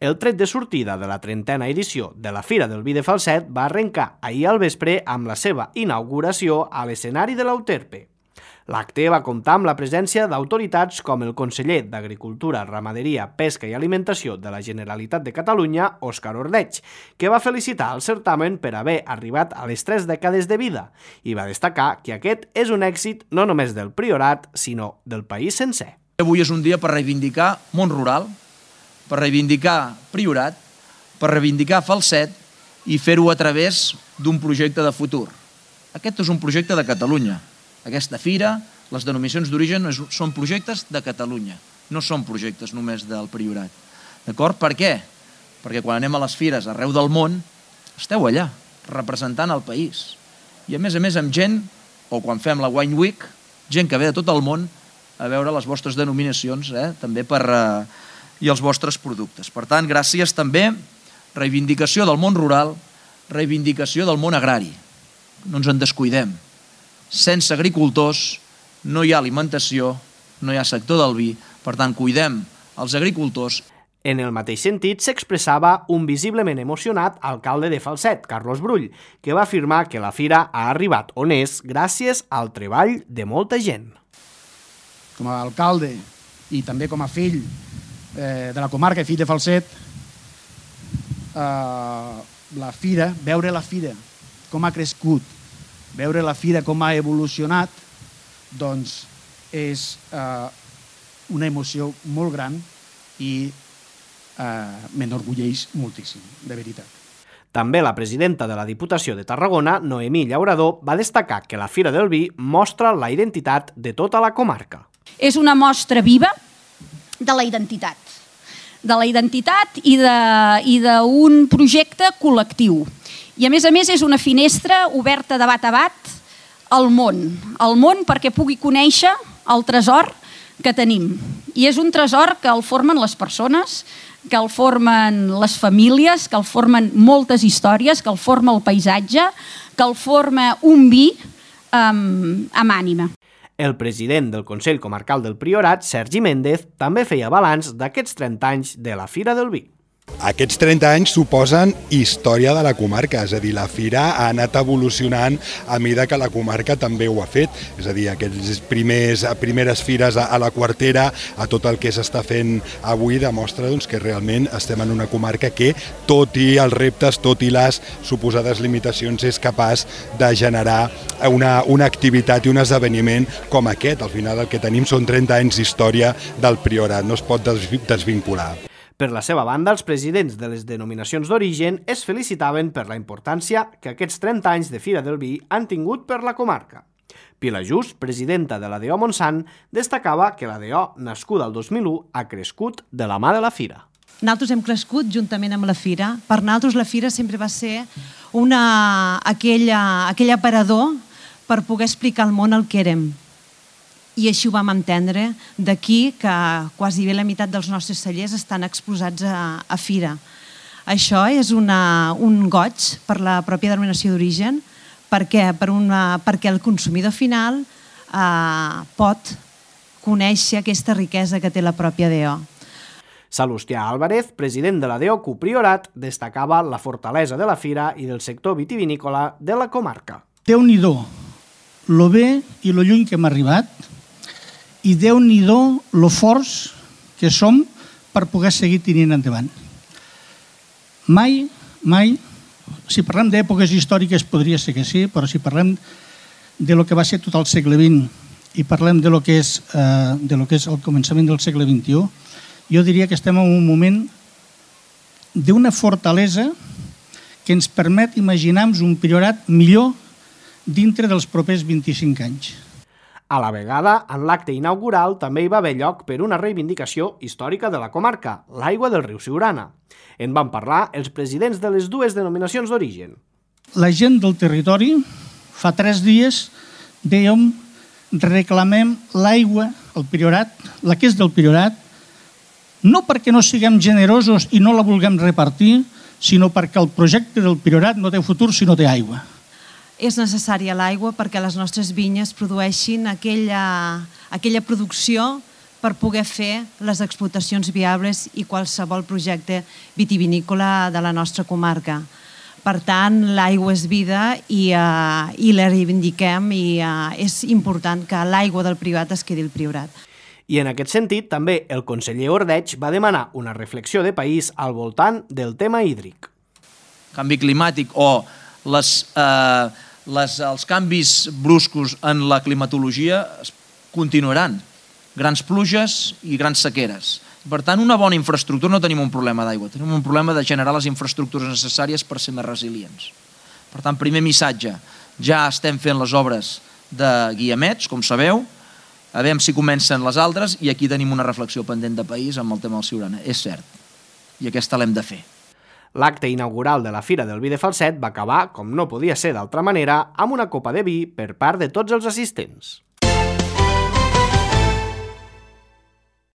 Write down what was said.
El tret de sortida de la 30a edició de la Fira del Vi de Falset va arrencar ahir al vespre amb la seva inauguració a l'escenari de l'Euterpe. L'acte va comptar amb la presència d'autoritats com el conseller d'Agricultura, Ramaderia, Pesca i Alimentació de la Generalitat de Catalunya, Òscar Ordeig, que va felicitar el certamen per haver arribat a les 3 dècades de vida i va destacar que aquest és un èxit no només del Priorat, sinó del país sencer. Avui és un dia per reivindicar món rural, per reivindicar Priorat, per reivindicar Falset i fer-ho a través d'un projecte de futur. Aquest és un projecte de Catalunya. Aquesta fira, les denominacions d'origen són projectes de Catalunya, no són projectes només del Priorat. D'acord? Per què? Perquè quan anem a les fires arreu del món, esteu allà, representant el país. I a més amb gent, o quan fem la Wine Week, gent que ve de tot el món a veure les vostres denominacions, també i els vostres productes. Per tant, gràcies també, reivindicació del món rural, reivindicació del món agrari. No ens en descuidem. Sense agricultors no hi ha alimentació, no hi ha sector del vi, per tant, cuidem els agricultors. En el mateix sentit s'expressava un visiblement emocionat alcalde de Falset, Carlos Brull, que va afirmar que la fira ha arribat on és gràcies al treball de molta gent. Com a alcalde i també com a fill de la comarca i fill de Falset, veure la fira com ha crescut, veure la fira com ha evolucionat, doncs és una emoció molt gran i m'enorgulleix moltíssim, de veritat. També la presidenta de la Diputació de Tarragona, Noemí Llaurador, va destacar que la Fira del Vi mostra la identitat de tota la comarca. És una mostra viva de la identitat i d'un projecte col·lectiu. I a més és una finestra oberta de bat a bat al món perquè pugui conèixer el tresor que tenim. I és un tresor que el formen les persones, que el formen les famílies, que el formen moltes històries, que el forma el paisatge, que el forma un vi amb ànima. El president del Consell Comarcal del Priorat, Sergi Méndez, també feia balanç d'aquests 30 anys de la Fira del Vi. Aquests 30 anys suposen història de la comarca, és a dir, la fira ha anat evolucionant a mesura que la comarca també ho ha fet, és a dir, aquestes primeres fires a la Quartera, a tot el que s'està fent avui demostra que realment estem en una comarca que, tot i els reptes, tot i les suposades limitacions, és capaç de generar una activitat i un esdeveniment com aquest. Al final el que tenim són 30 anys d'història del Priorat, no es pot desvincular. Per la seva banda, els presidents de les denominacions d'origen es felicitaven per la importància que aquests 30 anys de Fira del Vi han tingut per la comarca. Pilar Just, presidenta de l'ADO Montsant, destacava que l'ADO, nascuda el 2001, ha crescut de la mà de la Fira. Nosaltres hem crescut juntament amb la Fira. Per nosaltres la Fira sempre va ser aquell aparador per poder explicar al món el que érem. I així ho vam entendre, d'aquí que quasi bé la meitat dels nostres cellers estan exposats a Fira. Això és un goig per la pròpia denominació d'origen, perquè el consumidor final pot conèixer aquesta riquesa que té la pròpia DO. Salustià Álvarez, president de la DO Priorat, destacava la fortalesa de la fira i del sector vitivinícola de la comarca. Déu-n'hi-do, lo bé i lo lluny que hem arribat, i Déu-n'hi-do lo forts que som per poder seguir tenint endavant. Mai, si parlem d'èpoques històriques podria ser que sí, però si parlem de lo que va ser tot el segle XX i parlem de lo que és el començament del segle XXI, jo diria que estem en un moment d'una fortalesa que ens permet imaginar-nos un Priorat millor dintre dels propers 25 anys. A la vegada, en l'acte inaugural també hi va haver lloc per una reivindicació històrica de la comarca, l'aigua del riu Siurana. En van parlar els presidents de les dues denominacions d'origen. La gent del territori, fa 3 dies, dèiem, reclamem l'aigua, el Priorat, la que és del Priorat, no perquè no siguem generosos i no la vulguem repartir, sinó perquè el projecte del Priorat no té futur si no té aigua. És necessària l'aigua perquè les nostres vinyes produeixin aquella producció per poder fer les explotacions viables i qualsevol projecte vitivinícola de la nostra comarca. Per tant, l'aigua és vida i la reivindiquem i és important que l'aigua del Priorat es quedi al Priorat. I en aquest sentit, també el conseller Ordeig va demanar una reflexió de país al voltant del tema hídric. Canvi climàtic o els canvis bruscos en la climatologia continuaran. Grans pluges i grans sequeres. Per tant, una bona infraestructura, no tenim un problema d'aigua, tenim un problema de generar les infraestructures necessàries per ser més resilients. Per tant, primer missatge, ja estem fent les obres de guiamets, com sabeu, a veure si comencen les altres, i aquí tenim una reflexió pendent de país amb el tema del Siurana, és cert, i aquesta l'hem de fer. L'acte inaugural de la Fira del Vi de Falset va acabar, com no podia ser d'altra manera, amb una copa de vi per part de tots els assistents.